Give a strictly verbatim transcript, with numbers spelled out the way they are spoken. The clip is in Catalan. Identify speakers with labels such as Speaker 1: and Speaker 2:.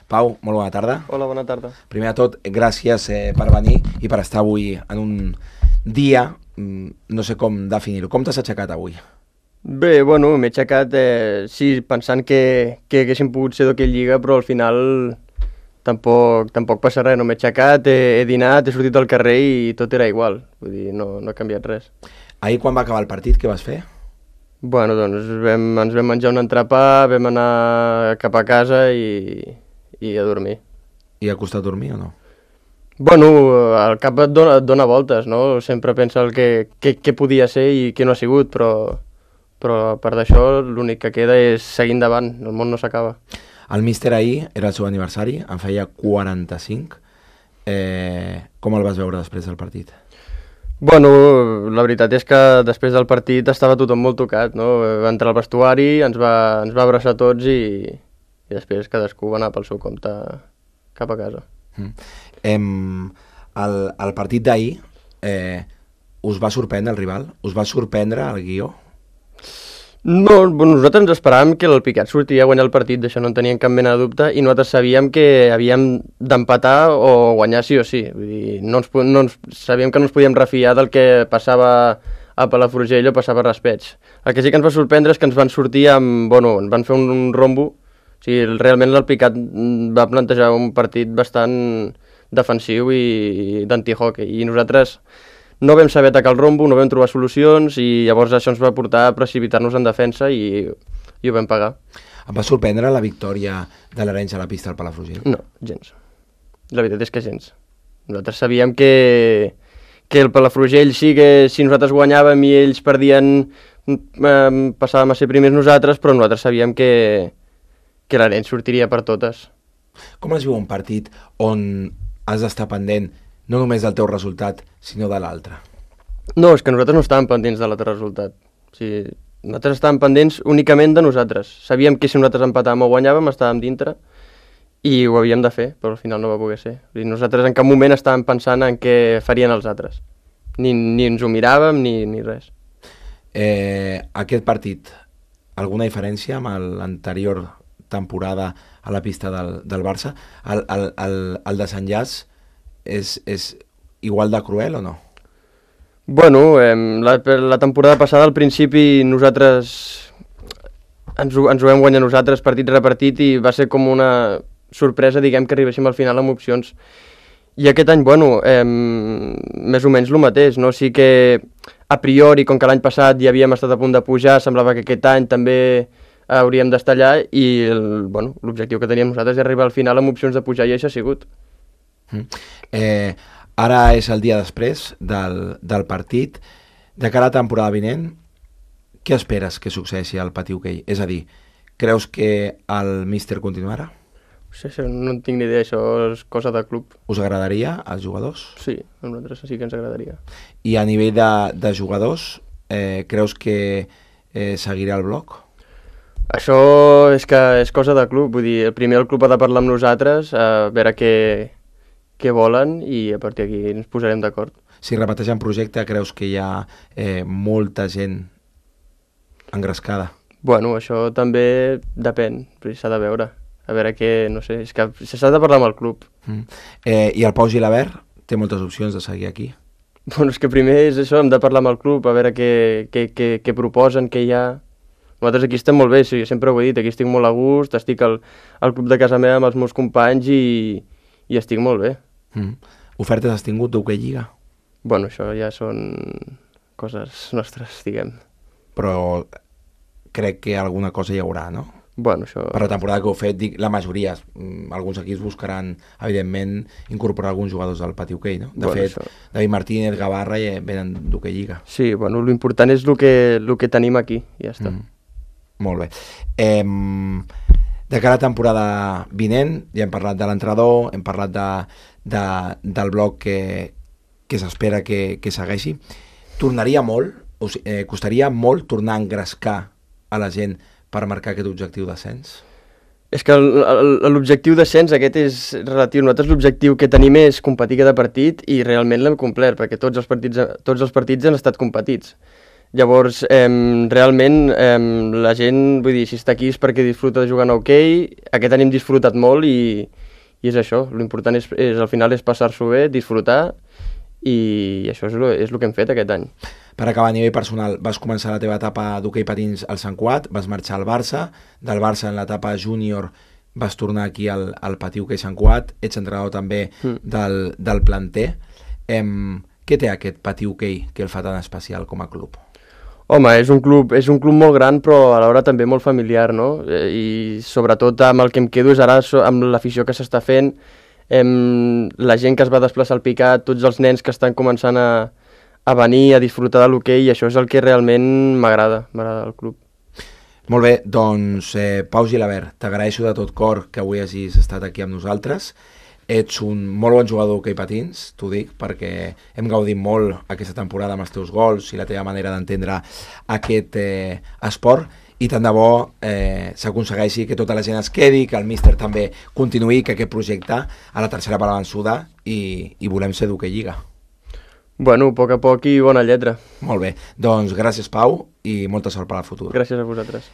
Speaker 1: Pau, molt bona tarda.
Speaker 2: Hola, bona tarda.
Speaker 1: Primer de tot, gràcies eh, per venir i per estar avui en un dia, no sé com definir-ho. Com t'has aixecat avui?
Speaker 2: Bé, bueno, m'he aixecat, eh, sí, pensant que, que haguéssim pogut ser d'aquella lliga, però al final tampoc, tampoc passa res. No m'he aixecat, he, he dinat, he sortit al carrer i tot era igual. Vull dir, no, no ha canviat res.
Speaker 1: Ahir, quan va acabar el partit, què vas fer?
Speaker 2: Bueno, doncs vam, ens vam menjar un entrepà, vam anar cap a casa i, i a dormir.
Speaker 1: I ha costat dormir o no?
Speaker 2: Bueno, el cap et dona, et dona voltes, no? Sempre pensa el que, que, que podia ser i què no ha sigut, però, però a part d'això l'únic que queda és seguir endavant, el món no s'acaba.
Speaker 1: El míster ahir era el seu aniversari, en feia quaranta-cinc. Eh, com el vas veure després del partit?
Speaker 2: Bueno, la veritat és que després del partit estava tothom molt tocat, no? Va entrar al vestuari, ens va, ens va abraçar tots i, i després cadascú va anar pel seu compte cap a casa.
Speaker 1: Mm. Em, el, el partit d'ahir, eh, us va sorprendre el rival? Us va sorprendre el guió?
Speaker 2: No, bueno, nosaltres ens esperàvem que el Picat sortiria a guanyar el partit, d'això no en teníem cap mena de dubte, i nosaltres sabíem que havíem d'empatar o guanyar sí o sí. Vull dir, no ens, no ens, sabíem que no ens podíem refiar del que passava a Palafrugell o passava a Raspeig. El que sí que ens va sorprendre és que ens van sortir amb, bueno, ens van fer un, un rombo. O sigui, realment el Picat va plantejar un partit bastant defensiu i, i d'antihockey, i nosaltres no vam saber atacar el rombo, no vam trobar solucions i llavors això ens va portar a precipitar-nos en defensa i, i ho vam pagar.
Speaker 1: Em va sorprendre la victòria de l'Arenys a la pista del Palafrugell?
Speaker 2: No, gens. La veritat és que gens. Nosaltres sabíem que, que el Palafrugell sí que si nosaltres guanyàvem i ells perdien eh, passàvem a ser primers nosaltres, però nosaltres sabíem que, que l'Arenys sortiria per totes.
Speaker 1: Com es viu un partit on has d'estar pendent no només del teu resultat, sinó de l'altre?
Speaker 2: No, és que nosaltres no estàvem pendents de l'altre resultat. O sigui, nosaltres estàvem pendents únicament de nosaltres. Sabíem que si nosaltres empatàvem o guanyàvem, estàvem dintre i ho havíem de fer, però al final no va poder ser. O sigui, nosaltres en cap moment estàvem pensant en què farien els altres. Ni, ni ens ho miràvem, ni, ni res.
Speaker 1: Eh, aquest partit, alguna diferència amb l'anterior temporada a la pista del, del Barça? El, el, el, el desenllaç és, és igual de cruel o no?
Speaker 2: Bueno, eh, la, la temporada passada al principi nosaltres ens ho, ens ho vam guanyar nosaltres partit repartit i va ser com una sorpresa, diguem, que arribéssim al final amb opcions. I aquest any, bueno, eh, més o menys el mateix, no? Sí que a priori, com que l'any passat ja havíem estat a punt de pujar, semblava que aquest any també hauríem d'estar allà i el, bueno, l'objectiu que teníem nosaltres és arribar al final amb opcions de pujar i això ha sigut.
Speaker 1: Mm. Eh, ara és el dia després del, del partit. De cara a la temporada vinent, què esperes que succeeixi al Pati Hoquei? És a dir, creus que el míster continuarà?
Speaker 2: Sí, sí, no en tinc ni idea, això és cosa de club.
Speaker 1: Us agradaria als jugadors?
Speaker 2: Sí, a nosaltres sí que ens agradaria.
Speaker 1: I a nivell de, de jugadors, eh, creus que eh, seguirà el bloc?
Speaker 2: Això és que és cosa de club, vull dir, primer el club ha de parlar amb nosaltres, a veure què, què volen i a partir d'aquí ens posarem d'acord.
Speaker 1: Si repeteixen projecte, creus que hi ha eh, molta gent engrescada?
Speaker 2: Bueno, això també depèn, s'ha de veure. A veure què, no sé, és que s'ha de parlar amb el club.
Speaker 1: Mm. Eh, I el Pau Gilabert té moltes opcions de seguir aquí?
Speaker 2: Bueno, és que primer és això, hem de parlar amb el club, a veure què, què, què, què proposen, què hi ha. Nosaltres aquí estem molt bé, sí, sempre ho he dit, aquí estic molt a gust, estic al, al club de casa meva amb els meus companys i, i estic molt bé.
Speaker 1: Mm. Ofertes has tingut d'Hoquei Lliga?
Speaker 2: Bueno, això ja són coses nostres, diguem.
Speaker 1: Però crec que alguna cosa hi haurà, no?
Speaker 2: Bueno, això...
Speaker 1: Per la temporada que heu fet, dic, la majoria, alguns equips buscaran, evidentment, incorporar alguns jugadors del Pati Hoquei, no? De
Speaker 2: bueno,
Speaker 1: fet,
Speaker 2: això...
Speaker 1: David Martínez, Gavarra ja venen d'Hoquei Lliga.
Speaker 2: Sí, bueno, l'important és el que, el que tenim aquí, i ja està.
Speaker 1: Mm. Molt bé. Eh, de cara a la temporada vinent, ja hem parlat de l'entrenador, hem parlat de, de, del bloc que, que s'espera que, que segueixi. Tornaria molt, o sigui, eh, costaria molt tornar a engrescar a la gent per marcar aquest objectiu d'ascens?
Speaker 2: És que l'objectiu d'ascens aquest és relatiu. Nosaltres l'objectiu que tenim és competir cada partit i realment l'hem complert, perquè tots els partits, tots els partits han estat competits. Llavors, eh, realment, eh, la gent, vull dir, si està aquí és perquè disfruta de jugar en hoquei, aquest any hem disfrutat molt i, i és això, l'important és, és, al final és passar-s'ho bé, disfrutar, i això és el, és el que hem fet aquest any.
Speaker 1: Per acabar, a nivell personal, vas començar la teva etapa d'hoquei patins al Sant Cugat, vas marxar al Barça, del Barça en l'etapa júnior vas tornar aquí al, al Patí Hoquei Sant Cugat, ets entrenador també mm. del, del planter. Em, què té aquest Patí Hoquei que el fa tan especial com a club?
Speaker 2: Home, és un club, és un club molt gran, però alhora també molt familiar, no? I sobretot amb el que em quedo és ara amb l'afició que s'està fent, em, la gent que es va desplaçar al Picat, tots els nens que estan començant a, a venir, a disfrutar de l'hoquei, i això és el que realment m'agrada, m'agrada el club.
Speaker 1: Molt bé, doncs eh, Pau Gilabert, t'agraeixo de tot cor que avui hagis estat aquí amb nosaltres. Ets un molt bon jugador d'hoquei patins, t'ho dic, perquè hem gaudit molt aquesta temporada amb els teus gols i la teva manera d'entendre aquest eh, esport, i tant de bo eh, s'aconsegueixi que tota la gent es quedi, que el míster també continuï, que aquest projecte a la tercera part avançuda, i, i volem ser d'hoquei lliga.
Speaker 2: Bueno, a poc a poc i bona lletra.
Speaker 1: Molt bé, doncs gràcies Pau i molta sort per al futur.
Speaker 2: Gràcies a vosaltres.